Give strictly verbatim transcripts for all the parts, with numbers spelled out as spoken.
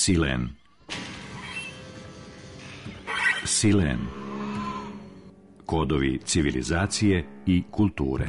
Silen. Silen. Kodovi civilizacije i kulture.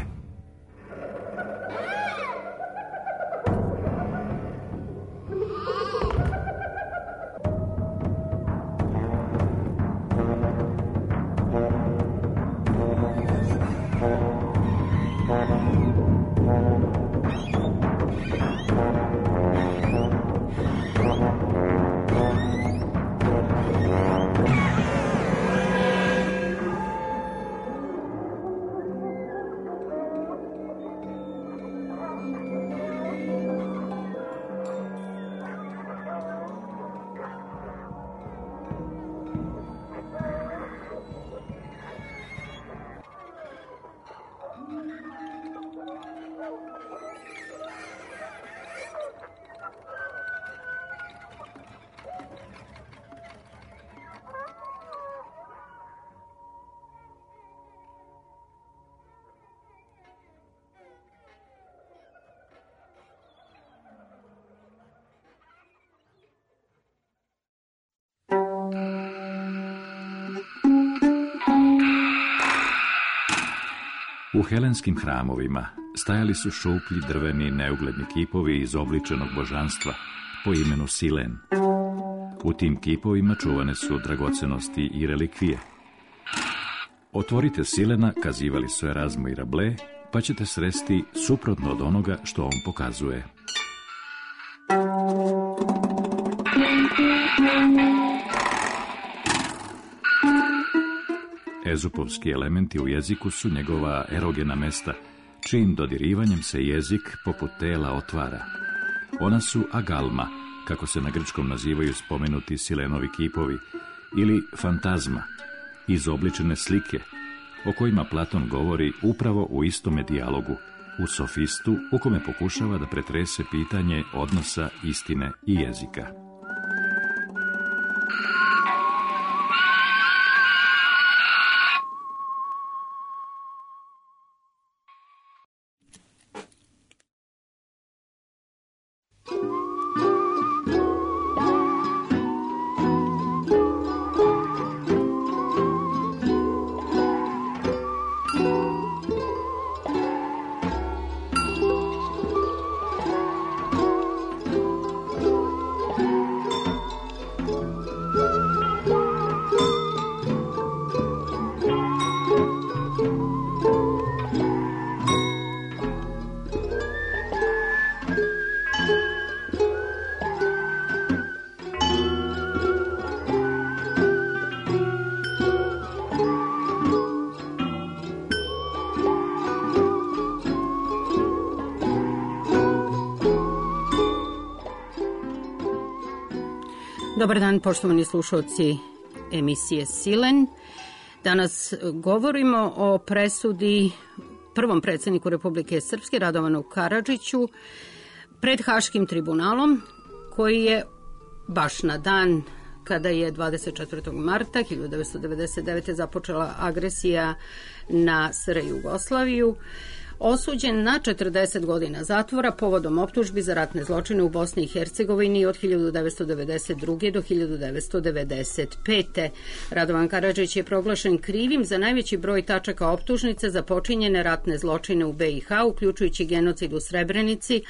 U helenskim hramovima stajali su šuplji drveni neugledni kipovi izobličenog božanstva po imenu Silen. U tim kipovima čuvane su dragocenosti i relikvije. Otvorite Silena, kazivali su Erazmo i Rabelais, pa ćete sresti suprotno od onoga što on pokazuje. Ezupovski elementi u jeziku su njegova erogena mesta, čijim dodirivanjem se jezik poput tela otvara. Ona su agalma, kako se na grčkom nazivaju spomenuti Silenovi kipovi, ili fantazma, izobličene slike, o kojima Platon govori upravo u istome dijalogu, u Sofistu, u kome pokušava da pretrese pitanje odnosa istine i jezika. Dobar dan, poštovani slušalci emisije Silen. Danas govorimo o presudi prvom predsjedniku Republike Srpske, Radovanu Karadžiću, pred Haškim tribunalom, koji je baš na dan kada je dvadeset četvrtog marta hiljadu devetsto devedeset devete. započela agresija na S R Jugoslaviju, osuđen na četrdeset godina zatvora povodom optužbi za ratne zločine u Bosni i Hercegovini od hiljadu devetsto devedeset druge. do hiljadu devetsto devedeset pete. Radovan Karadžić je proglašen krivim za najveći broj tačaka optužnice za počinjene ratne zločine u B i H, uključujući genocid u Srebrenici.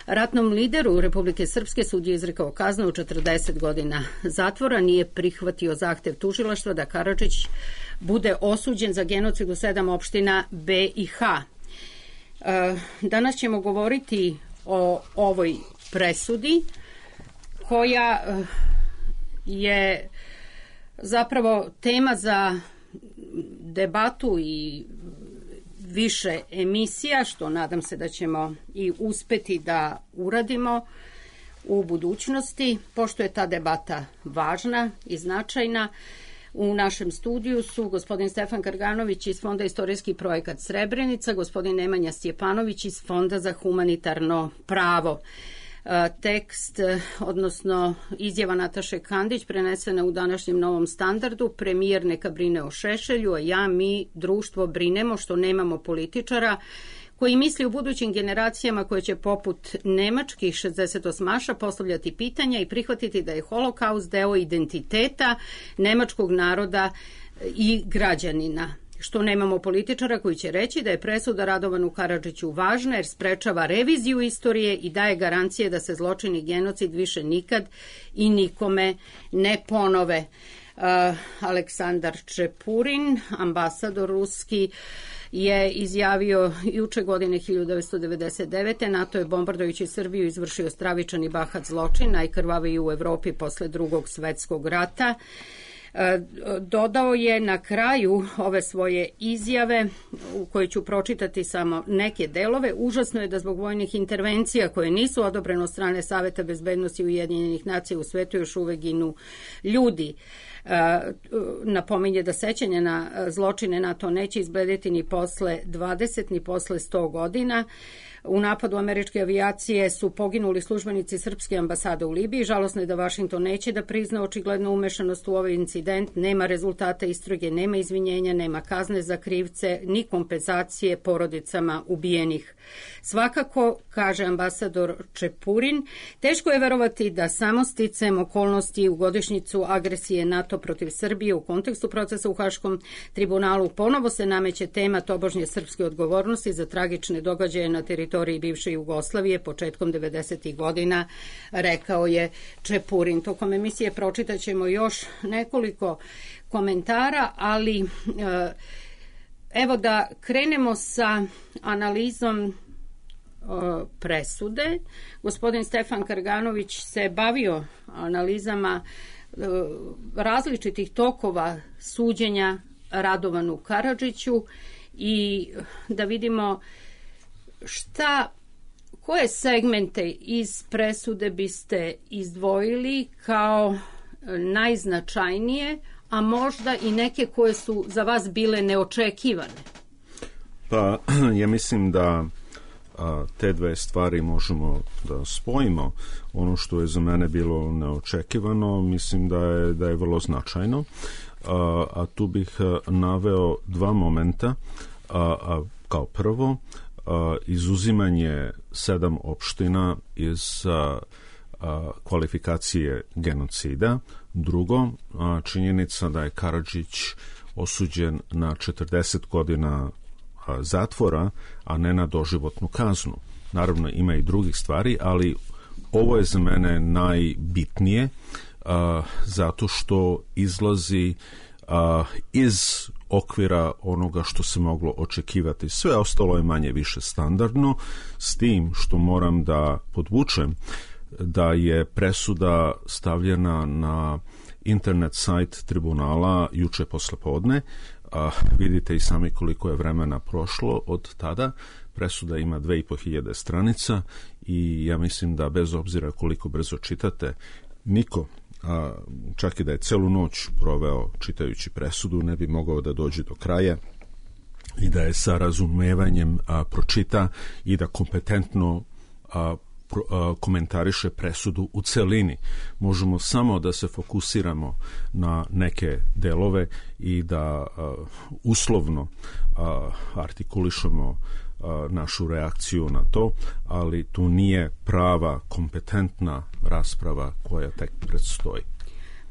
Ratnom lideru Republike Srpske sud je izrekao kaznu od četrdeset godina zatvora, nije prihvatio zahtev tužilaštva da Karadžić bude osuđen za genocid u sedam opština B i H. Danas ćemo govoriti o ovoj presudi koja je zapravo tema za debatu i više emisija, što nadam se da ćemo i uspeti da uradimo u budućnosti, pošto je ta debata važna i značajna. U našem studiju su gospodin Stefan Karganović iz Fonda Istorijski projekat Srebrenica, gospodin Nemanja Stjepanović iz Fonda za humanitarno pravo. Tekst, odnosno izjava Nataše Kandić, prenesena u današnjem Novom standardu: premijer neka brine o Šešelju, a ja, mi, društvo, brinemo što nemamo političara koji misli u budućim generacijama koje će poput nemačkih šezdesetosmaša postavljati pitanja i prihvatiti da je holokaust deo identiteta nemačkog naroda i građanina. Što nemamo političara koji će reći da je presuda Radovanu Karadžiću važna jer sprečava reviziju istorije i daje garancije da se zločin i genocid više nikad i nikome ne ponove. Uh, Aleksandar Čepurin, ambasador ruski, je izjavio juče godine hiljadu devetsto devedeset devete. NATO je bombardujući Srbiju izvršio stravičan i bahat zločin, najkrvaviji u Evropi posle drugog svetskog rata. Dodao je na kraju ove svoje izjave, u kojoj ću pročitati samo neke delove: užasno je da zbog vojnih intervencija koje nisu odobrene od strane Saveta bezbednosti Ujedinjenih nacija u svetu još uvek ginu ljudi. Napominje da sećanje na zločine NATO neće izbledeti ni posle dvadeset ni posle sto godina. U napadu američke avijacije su poginuli službenici srpske ambasade u Libiji. Žalosno je da Vašington neće da prizna očiglednu umešanost u ovaj incident. Nema rezultata istrage, nema izvinjenja, nema kazne za krivce, ni kompenzacije porodicama ubijenih. Svakako, kaže ambasador Čepurin, teško je verovati da samo sticajem okolnosti u godišnjicu agresije NATO protiv Srbije u kontekstu procesa u Haškom tribunalu ponovo se nameće tema tobožnje srpske odgovornosti za tragične događaje na teritoriji bivše Jugoslavije početkom devedesetih godina, rekao je Čepurin. Tokom emisije pročitat ćemo još nekoliko komentara, ali evo da krenemo sa analizom presude. Gospodin Stefan Karganović se bavio analizama različitih tokova suđenja Radovanu Karadžiću i da vidimo šta, koje segmente iz presude biste izdvojili kao najznačajnije, a možda i neke koje su za vas bile neočekivane? Pa ja mislim da a, te dve stvari možemo da spojimo. Ono što je za mene bilo neočekivano, mislim da je, da je vrlo značajno, a, a tu bih a, naveo dva momenta. A, a, kao prvo, a, izuzimanje sedam opština iz a, a, kvalifikacije genocida. Drugo, a, činjenica da je Karadžić osuđen na četrdeset godina a, zatvora, a ne na doživotnu kaznu. Naravno, ima i drugih stvari, ali ovo je za mene najbitnije, a, zato što izlazi a, iz okvira onoga što se moglo očekivati. Sve ostalo je manje više standardno, s tim što moram da podvučem da je presuda stavljena na internet sajt tribunala juče poslepodne. A, vidite i sami koliko je vremena prošlo od tada. Presuda ima dve i po hiljade stranica i ja mislim da bez obzira koliko brzo čitate, niko, a, čak i da je celu noć proveo čitajući presudu, ne bi mogao da dođe do kraja i da je sa razumevanjem a, pročita i da kompetentno a, pro, a, komentariše presudu u celini. Možemo samo da se fokusiramo na neke delove i da a, uslovno a, artikulišemo a, našu reakciju na to, ali tu nije prava, kompetentna rasprava koja tek predstoji.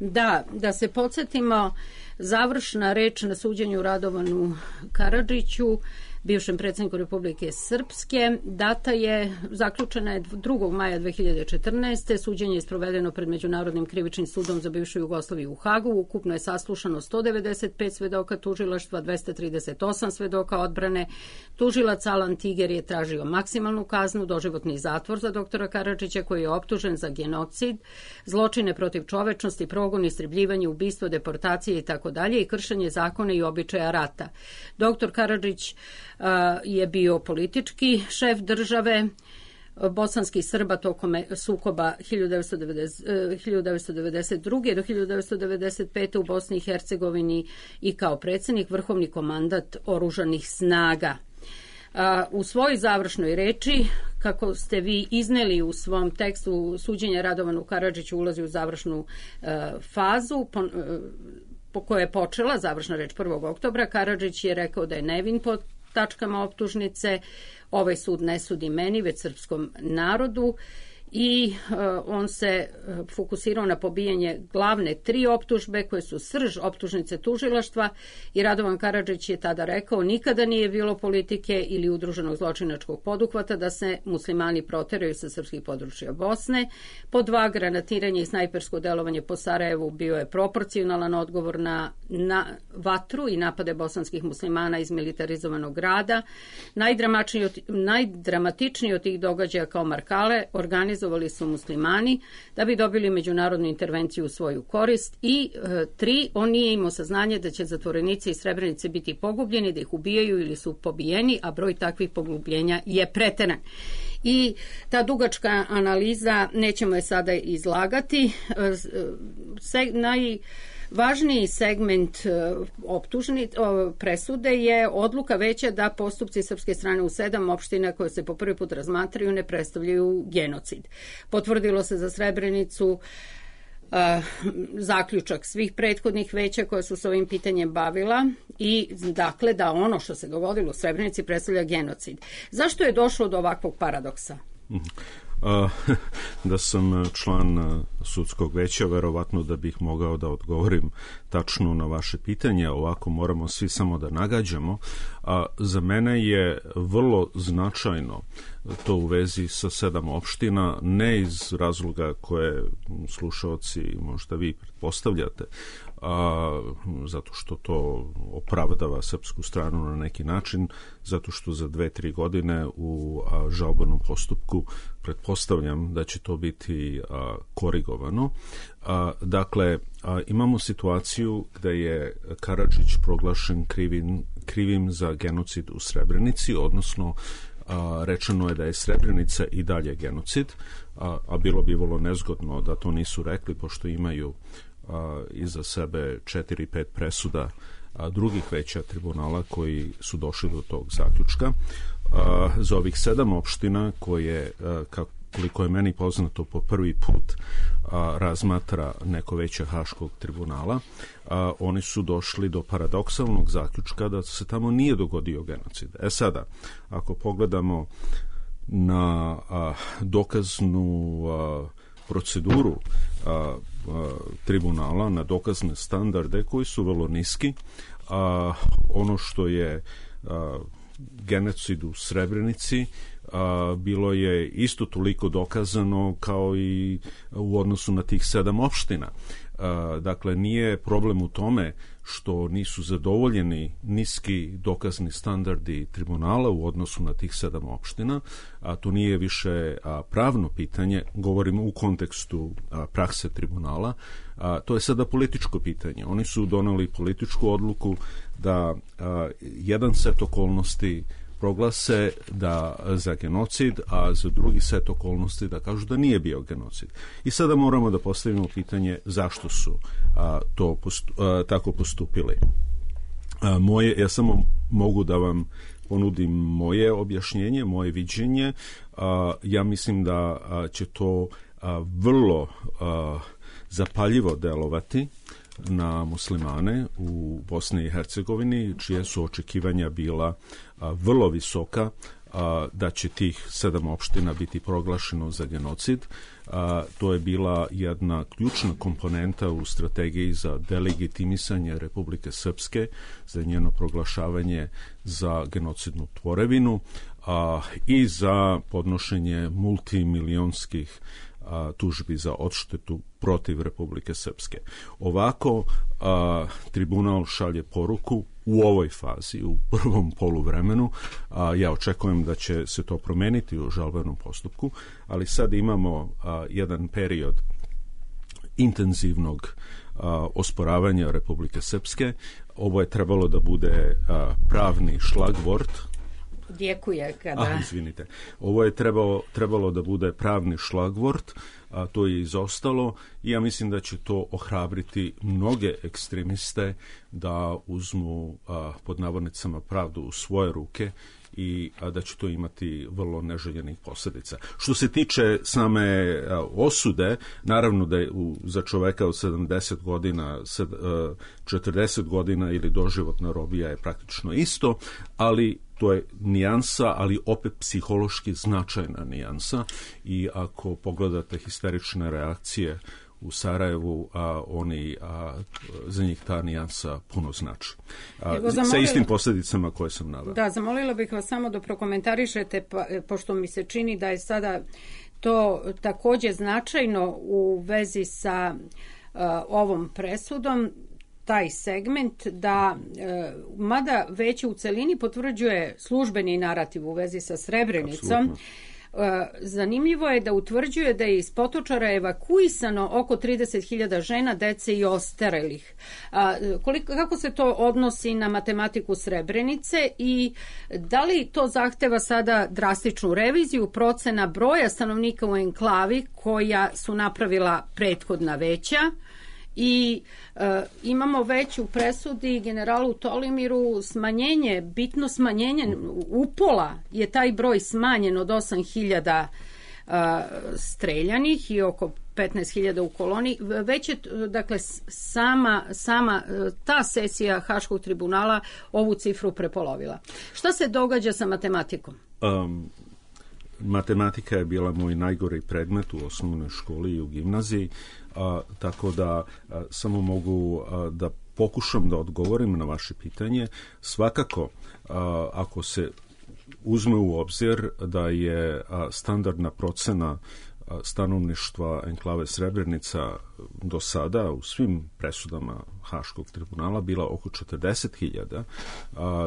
Da, da se podsjetimo, završna reč na suđenju Radovanu Karadžiću, bivšem predsjedniku Republike Srpske, data je, zaključena je drugog maja dve hiljade četrnaeste. Suđenje je sprovedeno pred Međunarodnim krivičnim sudom za bivšu Jugoslaviju u Hagu. Ukupno je saslušano sto devedeset pet svedoka tužilaštva, dvesta trideset osam svedoka odbrane. Tužilac Alan Tiger je tražio maksimalnu kaznu, doživotni zatvor za doktora Karadžića, koji je optužen za genocid, zločine protiv čovečnosti, progon, istrebljivanje, ubistvo, deportacije itd. i kršenje zakona i običaja rata. Doktor Karadžić je bio politički šef države bosanskih Srba tokom sukoba hiljadu devetsto devedeset druge. do hiljadu devetsto devedeset pete. u Bosni i Hercegovini i kao predsjednik vrhovni komandant oružanih snaga. U svojoj završnoj reči, kako ste vi izneli u svom tekstu, suđenja Radovanu Karadžiću ulazi u završnu fazu, po, po kojoj je počela završna reč prvog oktobra. Karadžić je rekao da je nevin pod tačkama optužnice. Ovaj sud ne sudi meni, već srpskom narodu. I uh, on se uh, fokusirao na pobijanje glavne tri optužbe koje su srž optužnice tužilaštva i Radovan Karadžić je tada rekao nikada nije bilo politike ili udruženog zločinačkog poduhvata da se muslimani proteraju sa srpskih područja Bosne. Po dva, granatiranje i snajpersko delovanje po Sarajevu bio je proporcionalan odgovor na, na vatru i napade bosanskih muslimana iz militarizovanog grada. Najdramatičniji od, najdramatičniji od tih događaja kao Markale organizovali su muslimani da bi dobili međunarodnu intervenciju u svoju korist i e, tri, on nije imao saznanje da će zatvorenici iz Srebrenice biti pogubljeni, da ih ubijaju ili su pobijeni, a broj takvih pogubljenja je preteran. I ta dugačka analiza, nećemo je sada izlagati, e, se, naj Važniji segment optužni, presude je odluka veća da postupci srpske strane u sedam opština koje se po prvi put razmatraju ne predstavljaju genocid. Potvrdilo se za Srebrenicu Uh, zaključak svih prethodnih veća koja su se ovim pitanjem bavila i dakle da ono što se dogodilo u Srebrenici predstavlja genocid. Zašto je došlo do ovakvog paradoksa? Uh, da sam član sudskog veća, verovatno da bih mogao da odgovorim tačno na vaše pitanje, ovako moramo svi samo da nagađamo. A za mene je vrlo značajno to u vezi sa sedam opština, ne iz razloga koje slušaoci možda vi pretpostavljate, a, zato što to opravdava srpsku stranu na neki način, zato što za dve, tri godine u a, žalbenom postupku pretpostavljam da će to biti a, korigovano. A, dakle, a, imamo situaciju gde je Karadžić proglašen krivim, krivim za genocid u Srebrenici, odnosno a, rečeno je da je Srebrenica i dalje genocid, a, a bilo bi vrlo nezgodno da to nisu rekli, pošto imaju a, iza sebe četiri, pet presuda a, drugih veća tribunala koji su došli do tog zaključka. A, za ovih sedam opština koje, a, kako koliko je meni poznato, po prvi put a, razmatra neko veće Haškog tribunala, a, oni su došli do paradoksalnog zaključka da se tamo nije dogodio genocid. E sada, ako pogledamo na a, dokaznu a, proceduru a, a, tribunala, na dokazne standarde koji su vrlo niski, a, ono što je a, genocid u Srebrenici a, bilo je isto toliko dokazano kao i u odnosu na tih sedam opština. A, dakle, nije problem u tome što nisu zadovoljeni niski dokazni standardi tribunala u odnosu na tih sedam opština, a to nije više a, pravno pitanje, govorimo u kontekstu a, prakse tribunala, a, to je sada političko pitanje. Oni su doneli političku odluku da a, jedan set okolnosti proglase da za genocid, a za drugi set okolnosti da kažu da nije bio genocid. I sada moramo da postavimo pitanje zašto su a, to postu, a, tako postupili. A, moje, ja samo mogu da vam ponudim moje objašnjenje, moje viđenje. A, ja mislim da a, će to a, vrlo a, zapaljivo delovati na muslimane u Bosni i Hercegovini, čije su očekivanja bila a, vrlo visoka, a, da će tih sedam opština biti proglašeno za genocid. A, to je bila jedna ključna komponenta u strategiji za delegitimisanje Republike Srpske, za njeno proglašavanje za genocidnu tvorevinu a, i za podnošenje multimilionskih a, tužbi za odštetu protiv Republike Srpske. Ovako a, tribunal šalje poruku u ovoj fazi, u prvom poluvremenu. A, ja očekujem da će se to promeniti u žalbenom postupku, ali sad imamo a, jedan period intenzivnog a, osporavanja Republike Srpske. Ovo je trebalo da bude a, pravni šlagvort. Djekuje kada... Ah, izvinite. Ovo je trebalo, trebalo da bude pravni šlagvort, a to je izostalo i ja mislim da će to ohrabriti mnoge ekstremiste da uzmu a, pod navodnicama pravdu u svoje ruke i a, da će to imati vrlo neželjenih posljedica. Što se tiče same a, osude, naravno da je u, za čoveka od sedamdeset godina, sed, a, četrdeset godina ili doživotna robija je praktično isto, ali to je nijansa, ali opet psihološki značajna nijansa i ako pogledate histerične reakcije u Sarajevu, a oni, a, za njih ta nijansa puno znači. A, zamolila, sa istim posljedicama koje sam naveo. Da, zamolila bih vas samo da prokomentarišete, pa, pošto mi se čini da je sada to također značajno u vezi sa uh, ovom presudom, taj segment da, e, mada već u celini potvrđuje službeni narativ u vezi sa Srebrenicom, e, zanimljivo je da utvrđuje da je iz Potočara evakuisano oko trideset hiljada žena, dece i ostarelih. A, koliko, kako se to odnosi na matematiku Srebrenice i da li to zahteva sada drastičnu reviziju procena broja stanovnika u enklavi koja su napravila prethodna veća? I e, imamo već u presudi generalu Tolimiru smanjenje, bitno smanjenje, upola je taj broj smanjen od osam hiljada e, streljanih i oko petnaest hiljada u koloni. Već je, dakle, sama, sama ta sesija Haškog tribunala ovu cifru prepolovila. Šta se događa sa matematikom? Um... Matematika je bila moj najgori predmet u osnovnoj školi i u gimnaziji, a, tako da a, samo mogu a, da pokušam da odgovorim na vaše pitanje. Svakako, a, ako se uzme u obzir da je a, standardna procena stanovništva enklave Srebrenica do sada u svim presudama Haškog tribunala bila oko četrdeset hiljada,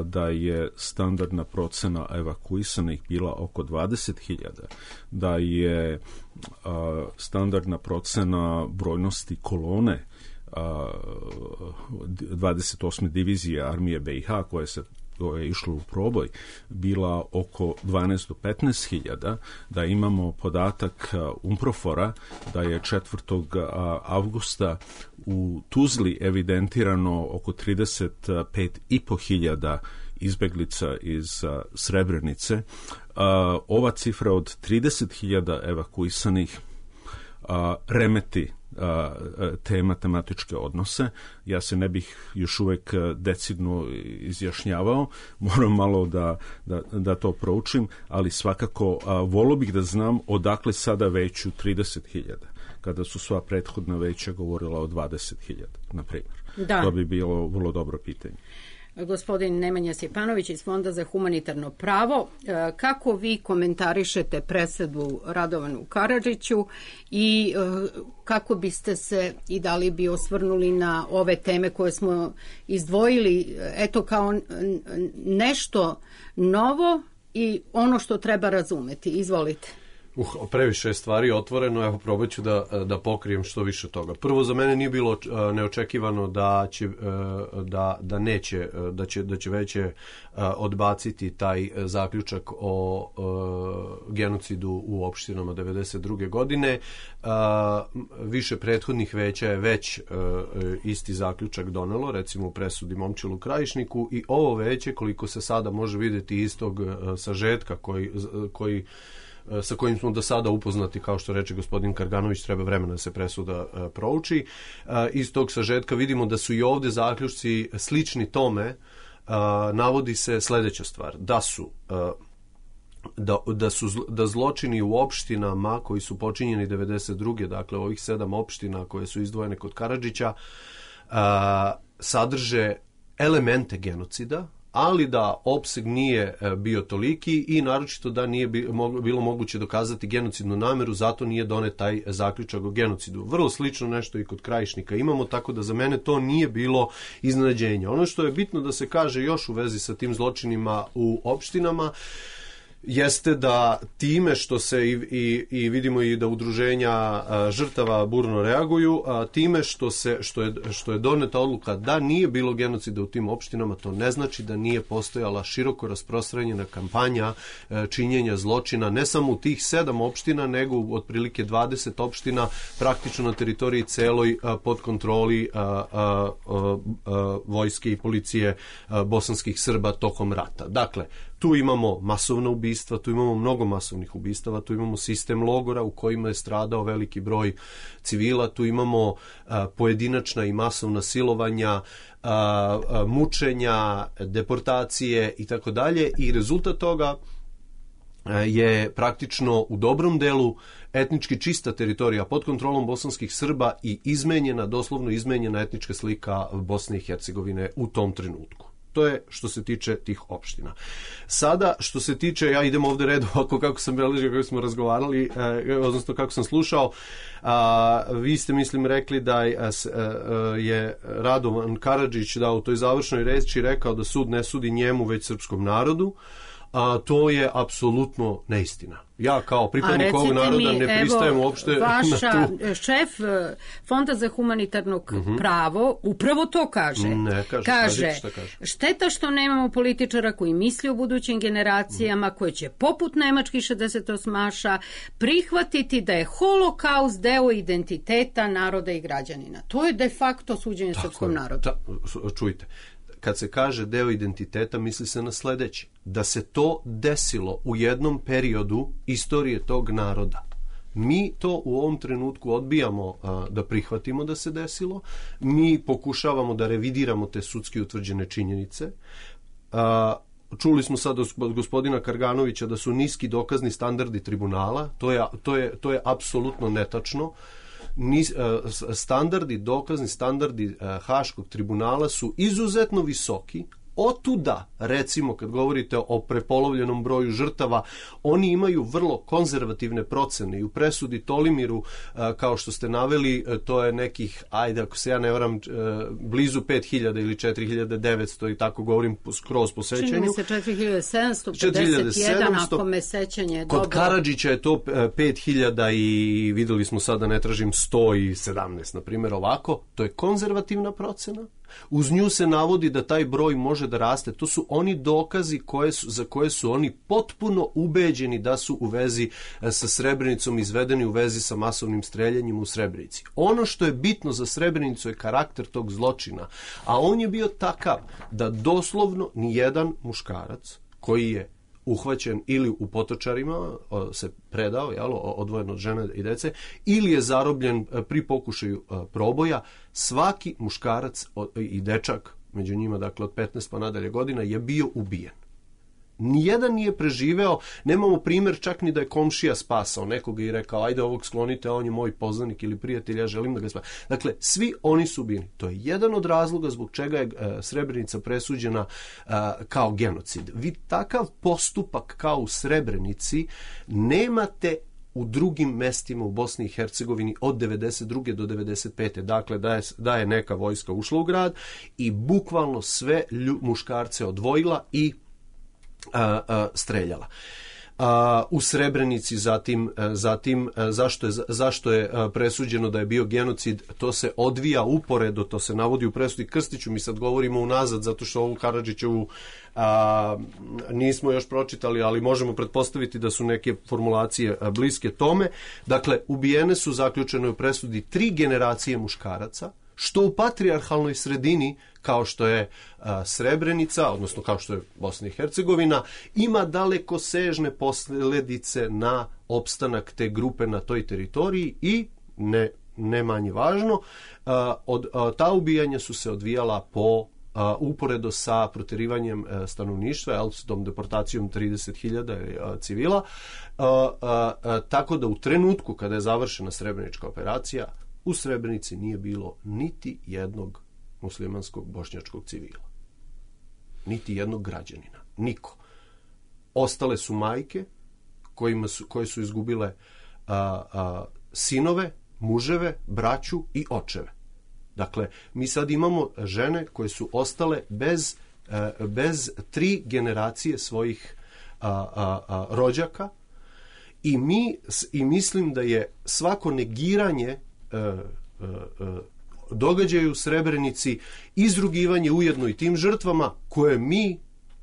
da je standardna procena evakuisanih bila oko dvadeset hiljada, da je a, standardna procena brojnosti kolone a, dvadeset osme divizije armije B i H koje se koje je išlo u proboj, bila oko dvanaest do petnaest hiljada, da imamo podatak Umprofora da je četvrtog avgusta u Tuzli evidentirano oko trideset pet i po hiljada izbeglica iz Srebrenice. Ova cifra od trideset hiljada evakuisanih remeti te matematičke odnose. Ja se ne bih još uvek decidno izjašnjavao, moram malo da, da, da to proučim, ali svakako a, volio bih da znam odakle sada veću trideset hiljada, kada su sva prethodna veća govorila o dvadeset hiljada, na primjer. Da. To bi bilo vrlo dobro pitanje. Gospodin Nemanja Stjepanović iz Fonda za humanitarno pravo. Kako vi komentarišete presudu Radovanu Karadžiću i kako biste se i da li bi osvrnuli na ove teme koje smo izdvojili, eto kao nešto novo i ono što treba razumeti? Izvolite. Uh, previše stvari otvoreno, evo probat ću da, da pokrijem što više toga. Prvo, za mene nije bilo uh, neočekivano da će, uh, da, da neće, uh, da će, da će veće uh, odbaciti taj uh, zaključak o uh, genocidu u opštinama devedeset druge godine. Uh, više prethodnih veća je već uh, isti zaključak donelo, recimo u presudi Momčilu Krajišniku, i ovo veće, koliko se sada može vidjeti iz tog uh, sažetka koji, uh, koji sa kojim smo do sada upoznati, kao što reče gospodin Karganović, treba vremena da se presuda uh, prouči. Uh, iz tog sažetka vidimo da su i ovdje zaključci slični tome. Uh, navodi se sljedeća stvar, da su uh, da, da su da zločini u opštinama koji su počinjeni devedeset druge, dakle ovih sedam opština koje su izdvojene kod Karadžića, uh, sadrže elemente genocida, ali da opseg nije bio toliki i naročito da nije bilo moguće dokazati genocidnu nameru, zato nije donet taj zaključak o genocidu. Vrlo slično nešto i kod Krajišnika imamo, tako da za mene to nije bilo iznenađenje. Ono što je bitno da se kaže još u vezi sa tim zločinima u opštinama jeste da time što se i, i, i vidimo i da udruženja a, žrtava burno reaguju, a, time što se što je što je doneta odluka da nije bilo genocida u tim opštinama, to ne znači da nije postojala široko rasprostranjena kampanja a, činjenja zločina ne samo u tih sedam opština, nego u otprilike dvadeset opština praktično na teritoriji celoj a, pod kontroli a, a, a, a, vojske i policije a, bosanskih Srba tokom rata. Dakle, Tu imamo masovna ubistva, tu imamo mnogo masovnih ubistava, tu imamo sistem logora u kojima je stradao veliki broj civila, tu imamo a, pojedinačna i masovna silovanja, a, a, mučenja, deportacije i tako dalje, i rezultat toga je praktično u dobrom delu etnički čista teritorija pod kontrolom bosanskih Srba i izmenjena, doslovno izmenjena etnička slika Bosne i Hercegovine u tom trenutku. To je što se tiče tih opština. Sada, što se tiče, ja idem ovde redu ovako kako sam beležio, kako smo razgovarali, eh, odnosno kako sam slušao, a, vi ste, mislim, rekli da je, je Radovan Karadžić da u toj završnoj reči rekao da sud ne sudi njemu, već srpskom narodu. A to je apsolutno neistina. Ja kao pripadnik ovog naroda mi, ne pristajem evo, uopšte vaša na tu... šef Fonda za humanitarno uh-huh. pravo upravo to kaže. Ne, kaže, kaže, šta kaže. Šteta što nemamo političara koji misli o budućim generacijama, uh-huh. koji će poput nemačkih šezdesetosmaša prihvatiti da je holokaust deo identiteta naroda i građanina. To je de facto suđenje Tako srpskom je. narodu. Ta, čujte, kad se kaže deo identiteta, misli se na sledeće. Da se to desilo u jednom periodu istorije tog naroda. Mi to u ovom trenutku odbijamo a, da prihvatimo da se desilo. Mi pokušavamo da revidiramo te sudski utvrđene činjenice. A, čuli smo sad od gospodina Karganovića da su niski dokazni standardi tribunala. To je, to je, to je apsolutno netačno. Standardi, dokazni standardi Haškog tribunala su izuzetno visoki. Otuda, recimo, kad govorite o prepolovljenom broju žrtava, oni imaju vrlo konzervativne procene i u presudi Tolimiru, kao što ste naveli, to je nekih, ajde, ako se ja ne varam, blizu pet hiljada ili četiri hiljade devetsto i tako govorim skroz po sećanju. Čini mi se četiri hiljade sedamsto pedeset jedan, ako me sećanje dobro. Kod Karadžića je to pet hiljada i videli smo sada, ne tražim, sto sedamnaest, na primjer, ovako. To je konzervativna procena. Uz nju se navodi da taj broj može da raste. To su oni dokazi koje su, za koje su oni potpuno ubeđeni da su u vezi sa Srebrenicom, izvedeni u vezi sa masovnim streljanjem u Srebrenici. Ono što je bitno za Srebrenicu je karakter tog zločina, a on je bio takav da doslovno nijedan muškarac koji je uhvaćen ili u potočarima se predao, jel, odvojen od žene i dece, ili je zarobljen pri pokušaju proboja, svaki muškarac i dečak, među njima, dakle, od petnaest pa nadalje godina, je bio ubijen. Nijedan nije preživeo, nemamo primjer čak ni da je komšija spasao nekoga i rekao, ajde ovog sklonite, a on je moj poznanik ili prijatelj, ja želim da ga spasam. Dakle, svi oni su bili. To je jedan od razloga zbog čega je uh, Srebrenica presuđena uh, kao genocid. Vi takav postupak kao u Srebrenici nemate u drugim mestima u Bosni i Hercegovini od devedeset druge do devedeset pete. Dakle, da je, da je neka vojska ušla u grad i bukvalno sve lju, muškarce odvojila i A, a, streljala. A, u Srebrenici zatim, a, zatim a, zašto je, zašto je a, presuđeno da je bio genocid, to se odvija uporedo, to se navodi u presudi Krstiću, mi sad govorimo unazad zato što ovu Karadžićevu a, nismo još pročitali, ali možemo pretpostaviti da su neke formulacije a, bliske tome. Dakle, ubijene su, zaključeno je u presudi, tri generacije muškaraca, što u patrijarhalnoj sredini, kao što je a, Srebrenica, odnosno kao što je Bosna i Hercegovina, ima daleko sežne posljedice na opstanak te grupe na toj teritoriji i, ne, ne manje važno, a, od, a, ta ubijanja su se odvijala po a, uporedo sa proterivanjem a, stanovništva, jel, s tom deportacijom trideset hiljada a, civila, a, a, a, tako da u trenutku kada je završena Srebrenička operacija, u Srebrenici nije bilo niti jednog muslimanskog bošnjačkog civila. Niti jednog građanina. Niko. Ostale su majke kojima su, koje su izgubile a, a, sinove, muževe, braću i očeve. Dakle, mi sad imamo žene koje su ostale bez, a, bez tri generacije svojih a, a, a, rođaka i, mi, i mislim da je svako negiranje događaju u Srebrenici izrugivanje ujedno i tim žrtvama koje mi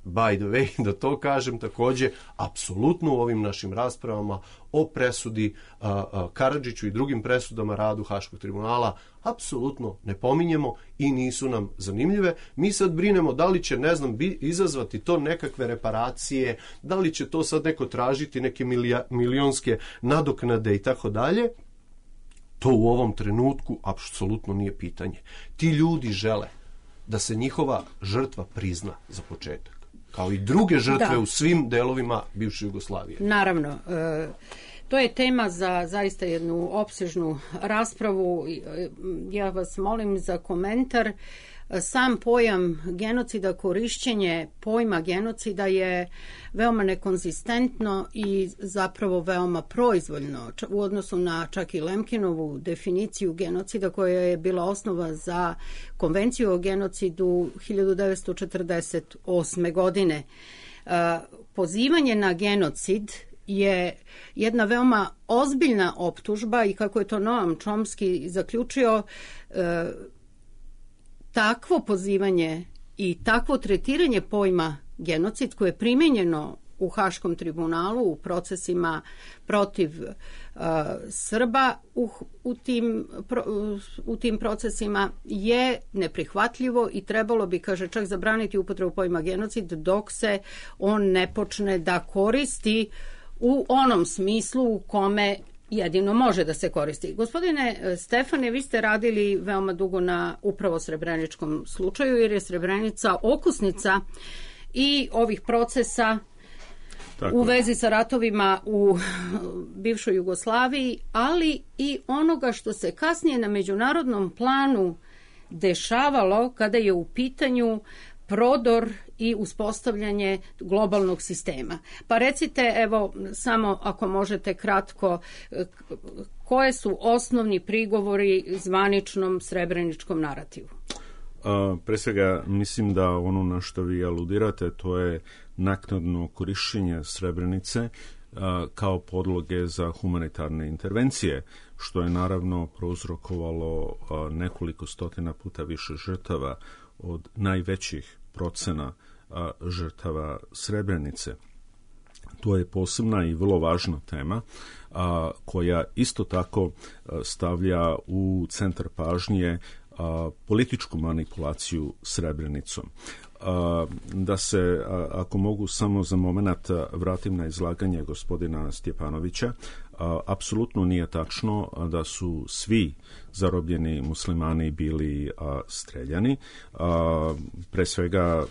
by the way, da to kažem takođe, apsolutno u ovim našim raspravama o presudi a, a, Karadžiću i drugim presudama radu Haškog tribunala apsolutno ne pominjemo i nisu nam zanimljive. Mi sad brinemo da li će, ne znam, bi, izazvati to nekakve reparacije, da li će to sad neko tražiti neke milija, milionske nadoknade i tako dalje. To u ovom trenutku apsolutno nije pitanje. Ti ljudi žele da se njihova žrtva prizna za početak, kao i druge žrtve da. u svim delovima bivše Jugoslavije. Naravno, e, to je tema za zaista jednu opsežnu raspravu. Ja vas molim za komentar. Sam pojam genocida, korišćenje pojma genocida je veoma nekonzistentno i zapravo veoma proizvoljno u odnosu na čak i Lemkinovu definiciju genocida koja je bila osnova za konvenciju o genocidu hiljadu devetsto četrdeset osme. godine. Pozivanje na genocid je jedna veoma ozbiljna optužba i kako je to Noam Chomsky zaključio, takvo pozivanje i takvo tretiranje pojma genocid koje je primijenjeno u Haškom tribunalu u procesima protiv uh, Srba u, u, tim, pro, u tim procesima je neprihvatljivo i trebalo bi, kaže, čak zabraniti upotrebu pojma genocid dok se on ne počne da koristi u onom smislu u kome jedino može da se koristi. Gospodine Stefane, vi ste radili veoma dugo na upravo srebreničkom slučaju, jer je Srebrenica okusnica i ovih procesa Tako. u vezi sa ratovima u bivšoj Jugoslaviji, ali i onoga što se kasnije na međunarodnom planu dešavalo kada je u pitanju prodor i uspostavljanje globalnog sistema. Pa recite, evo, samo ako možete kratko, koje su osnovni prigovori zvaničnom srebreničkom narativu? A, pre svega, mislim da ono na što vi aludirate, to je naknadno korišćenje Srebrenice a, kao podloge za humanitarne intervencije, što je naravno prouzrokovalo a, nekoliko stotina puta više žrtava od najvećih procena a, žrtava Srebrenice. To je posebna i vrlo važna tema a, koja isto tako a, stavlja u centar pažnje a, političku manipulaciju Srebrenicom. A, da se, a, ako mogu samo za moment vratim na izlaganje gospodina Stjepanovića, a, apsolutno nije tačno da su svi zarobljeni muslimani bili a, streljani. A, pre svega a,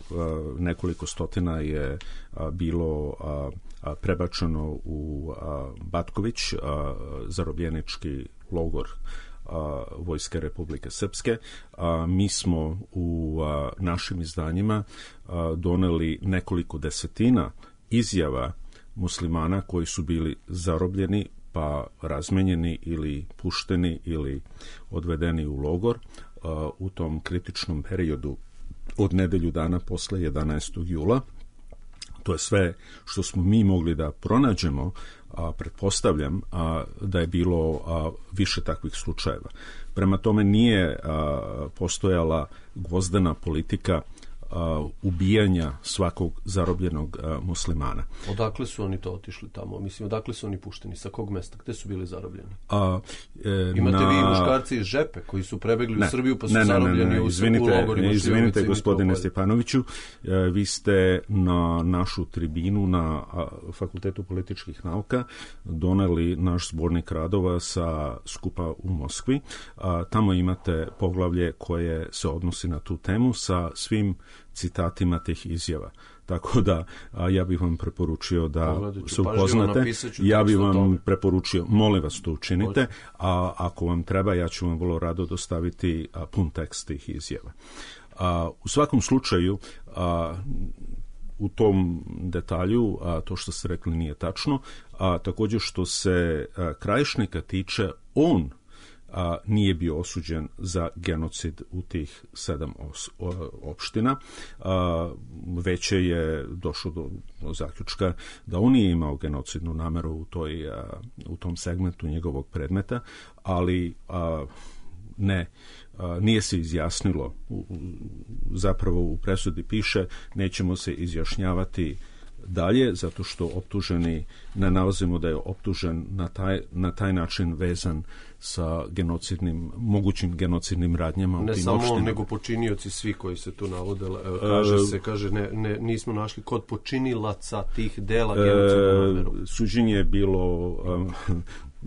nekoliko stotina je a, bilo a, a, prebačeno u a, Batković, a, zarobljenički logor a, Vojske Republike Srpske. A, mi smo u a, našim izdanjima a, doneli nekoliko desetina izjava muslimana koji su bili zarobljeni pa razmenjeni ili pušteni ili odvedeni u logor a, u tom kritičnom periodu od nedelju dana posle jedanaestog jula. To je sve što smo mi mogli da pronađemo, a pretpostavljam a, da je bilo a, više takvih slučajeva. Prema tome nije a, postojala gvozdena politika a, ubijanja svakog zarobljenog a, muslimana. Odakle su oni to otišli tamo? Mislim, odakle su oni pušteni? Sa kog mesta? Gde su bili zarobljeni? A, e, Imate na... vi muškarci iz Žepe koji su prebegli ne, u Srbiju pa su ne, ne, zarobljeni ne, ne, u, izvinite, u logorima. Izvinite, gospodine Stjepanoviću, e, vi ste na našu tribinu na a, Fakultetu političkih nauka doneli naš zbornik radova sa skupa u Moskvi. A, tamo imate poglavlje koje se odnosi na tu temu sa svim citatima tih izjava. Tako da a, ja bih vam preporučio da se upoznate. Ja bih vam preporučio, molim vas to učinite, a ako vam treba, ja ću vam vrlo rado dostaviti a, pun tekst tih izjava. A, u svakom slučaju, a, u tom detalju, a, to što ste rekli nije tačno, a također što se a, Krajišnika tiče, on a, nije bio osuđen za genocid u tih sedam os, o, opština. A, veće je došlo do, do zaključka da on nije imao genocidnu nameru u, toj, a, u tom segmentu njegovog predmeta, ali a, ne, a, nije se izjasnilo u, u zapravo u presudi piše nećemo se izjašnjavati dalje, zato što optuženi ne nalazimo da je optužen na taj, na taj način vezan sa genocidnim, mogućim genocidnim radnjama. Ne u tim samo opštinama. on, nego počinioci svi koji se tu navode. Kaže se, kaže, ne, ne, nismo našli kod počinilaca tih dela genocidnog nameru. E, suđenje je bilo um,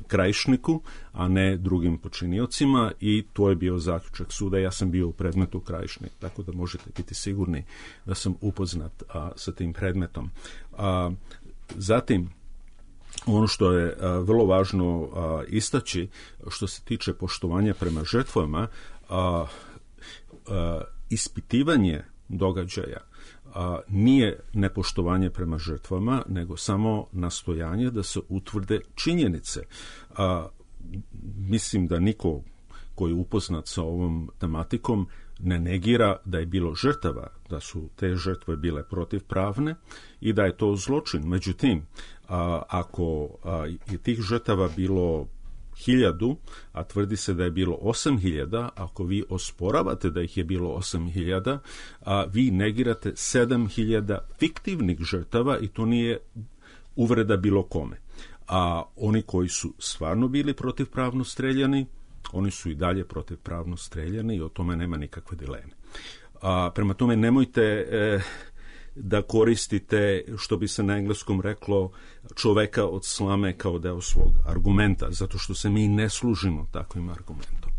Krajišniku, a ne drugim počiniocima i to je bio zaključak suda. Ja sam bio u predmetu Krajišnik, tako da možete biti sigurni da sam upoznat a, sa tim predmetom. A, zatim, ono što je a, vrlo važno a, istaći, što se tiče poštovanja prema žrtvama, a, a, ispitivanje događaja a, nije nepoštovanje prema žrtvama, nego samo nastojanje da se utvrde činjenice. A, mislim da niko koji je upoznat sa ovom tematikom ne negira da je bilo žrtava, da su te žrtve bile protivpravne i da je to zločin. Međutim, a, ako a, je tih žrtava bilo hiljadu, a tvrdi se da je bilo osam hiljada, ako vi osporavate da ih je bilo osam hiljada, a vi negirate sedam hiljada fiktivnih žrtava i to nije uvreda bilo kome. A oni koji su stvarno bili protivpravno streljani, oni su i dalje protivpravno streljani i o tome nema nikakve dileme. A, prema tome nemojte e, da koristite, što bi se na engleskom reklo, čoveka od slame kao deo svog argumenta, zato što se mi ne služimo takvim argumentom.